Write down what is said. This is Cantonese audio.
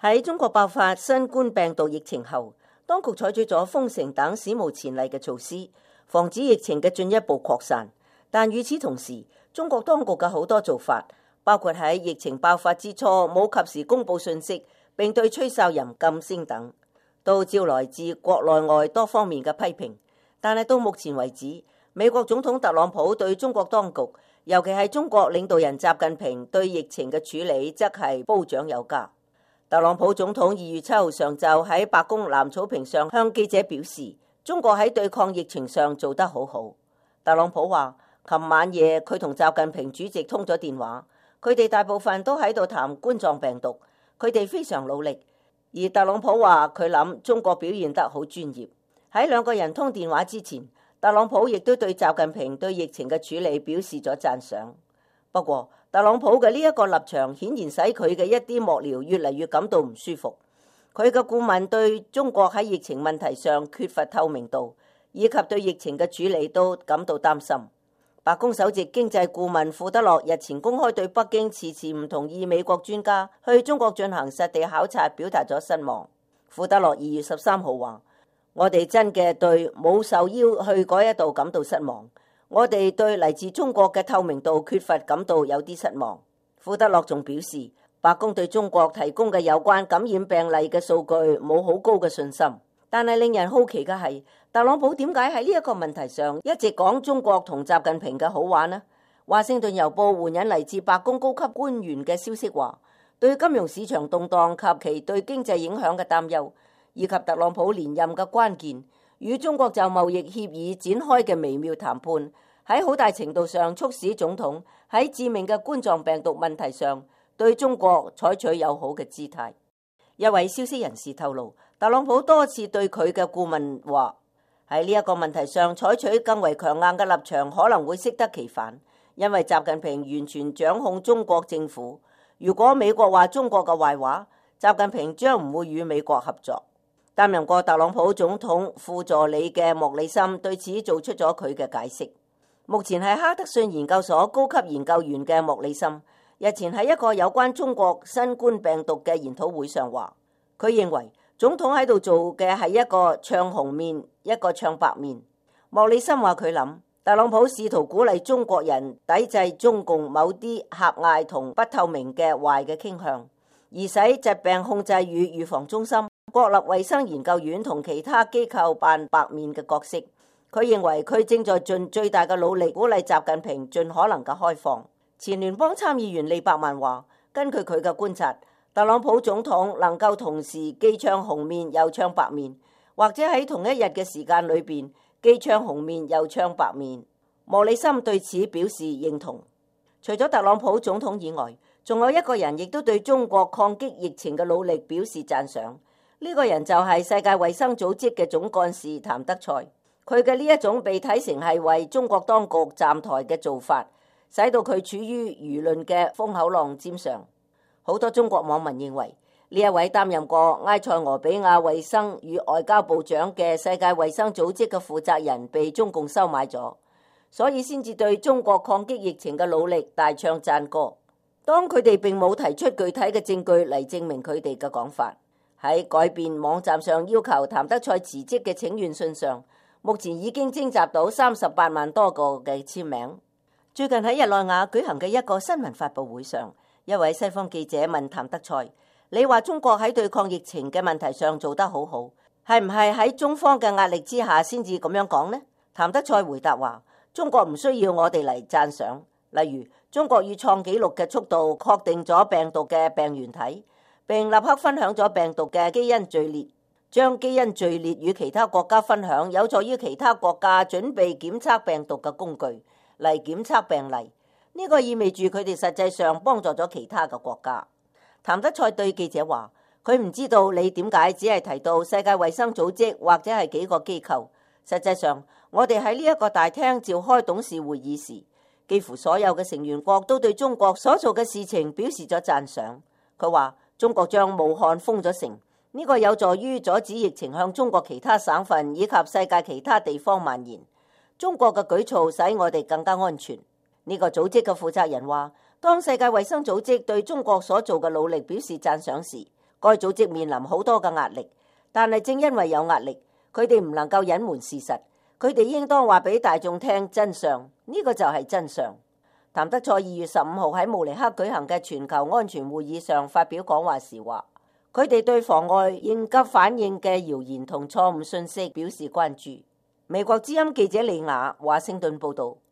喺中國爆發新冠病毒疫情後，當局採取咗封城等史無前例嘅措施，防止疫情嘅進一步擴散。但與此同時，中國當局嘅好多做法，包括喺疫情爆發之初冇及時公佈信息，並對吹哨人禁聲等，都招來自國內外多方面嘅批評。但係到目前為止，美國總統特朗普對中國當局，尤其係中國領導人習近平對疫情嘅處理，則係褒獎有加。特朗普總統2月7號上晝喺白宮藍草坪上向記者表示，中國喺對抗疫情上做得好好。特朗普話，琴晚夜佢同習近平主席通咗電話，佢哋大部分都喺度談冠狀病毒，佢哋非常努力。而特朗普話佢諗中國表現得好專業。喺兩個人通電話之前，特朗普亦都對習近平對疫情嘅處理表示咗讚賞。不過，特朗普嘅呢一個立場顯然使佢嘅一啲幕僚越嚟越感到唔舒服。佢嘅顧問對中國喺疫情問題上缺乏透明度，以及對疫情嘅處理都感到擔心。白宮首席經濟顧問庫德洛日前公開對北京遲遲唔同意美國專家去中國進行實地考察表達咗失望。庫德洛2月13號話：我哋真嘅對冇受邀去嗰一度感到失望。我哋對嚟自中國嘅透明度缺乏感到有啲失望。庫德洛仲表示，白宮對中國提供嘅有關感染病例嘅數據冇好高嘅信心。但係令人好奇嘅係，特朗普點解喺呢一個問題上一直講中國同習近平嘅好話呢？華盛頓郵報援引嚟自白宮高級官員嘅消息話，對金融市場動盪及其對經濟影響嘅擔憂，以及特朗普連任嘅關鍵，與中國就貿易協議展開嘅微妙談判，喺好大程度上促使總統喺致命嘅冠狀病毒問題上對中國採取友好嘅姿態。一位消息人士透露，特朗普多次對佢嘅顧問話，喺呢一個問題上採取更為強硬嘅立場可能會適得其反，因為習近平完全掌控中國政府。如果美國話中國嘅壞話，習近平將唔會與美國合作。擔任過特朗普總統副助理嘅莫里森對此做出咗佢嘅解釋。目前係哈德遜研究所高級研究員嘅莫里森，日前喺一個有關中國新冠病毒嘅研討會上話，佢認為總統喺度做嘅係一個唱紅面，一個唱白面。莫里森話佢諗，特朗普試圖鼓勵中國人抵制中共某啲狹隘同不透明嘅壞嘅傾向，而使疾病控制與預防中心、國立衛生研究院同其他機構扮白面嘅角色。佢認為佢正在盡最大嘅努力鼓勵習近平盡可能嘅開放。前聯邦參議員利伯曼話，根據佢嘅觀察，特朗普總統能夠同時既唱紅面又唱白面，或者喺同一日嘅時間裏邊既唱紅面又唱白面。莫里森對此表示認同。除咗特朗普總統以外，仲有一個人亦都對中國抗擊疫情嘅努力表示讚賞。呢個人就係世界衛生組織嘅總幹事譚德塞。佢嘅呢一種被睇成係為中國當局站台嘅做法，使到佢處於輿論嘅風口浪尖上。好多中國網民認為，呢一位擔任過埃塞俄比亞衛生與外交部長嘅世界衛生組織嘅負責人被中共收買咗，所以先至對中國抗擊疫情嘅努力大唱讚歌。當佢哋並冇提出具體嘅證據嚟證明佢哋嘅講法。喺改變網站上要求譚德塞辭職嘅請願信上，目前已經徵集到38萬多個嘅簽名。最近喺日內瓦舉行嘅一個新聞發佈會上，一位西方記者問譚德塞：你話中國喺對抗疫情嘅問題上做得好好，係唔係喺中方嘅壓力之下先至咁樣講呢？譚德塞回答話：中國唔需要我哋嚟讚賞。例如，中國以創紀錄嘅速度確定咗病毒嘅病原體，並立刻分享咗病毒嘅基因序列。將基因序列與其他國家分享，有助於其他國家準備檢測病毒嘅工具嚟檢測病例。呢個意味住佢哋實際上幫助咗其他嘅國家。譚德塞對記者話：佢唔知道你點解只係提到世界衛生組織或者係幾個機構。實際上，我哋喺呢一個大廳召開董事會議時，幾乎所有嘅成員國都對中國所做嘅事情表示咗讚賞。佢話：中國將武漢封咗城。呢個有助於阻止疫情向中國其他省份以及世界其他地方蔓延。中國嘅舉措使我哋更加安全。呢個組織嘅負責人話，當世界衛生組織對中國所做嘅努力表示讚賞時，該組織面臨好多嘅壓力，但係正因為有壓力，佢哋唔能夠隱瞞事實，佢哋應當話俾大眾聽真相，呢個就係真相。譚德塞2月15號喺慕尼黑舉行嘅全球安全會議上發表講話時話，佢哋對妨礙應急反應嘅謠言同錯誤信息表示關注。美國之音記者李雅華盛頓報道。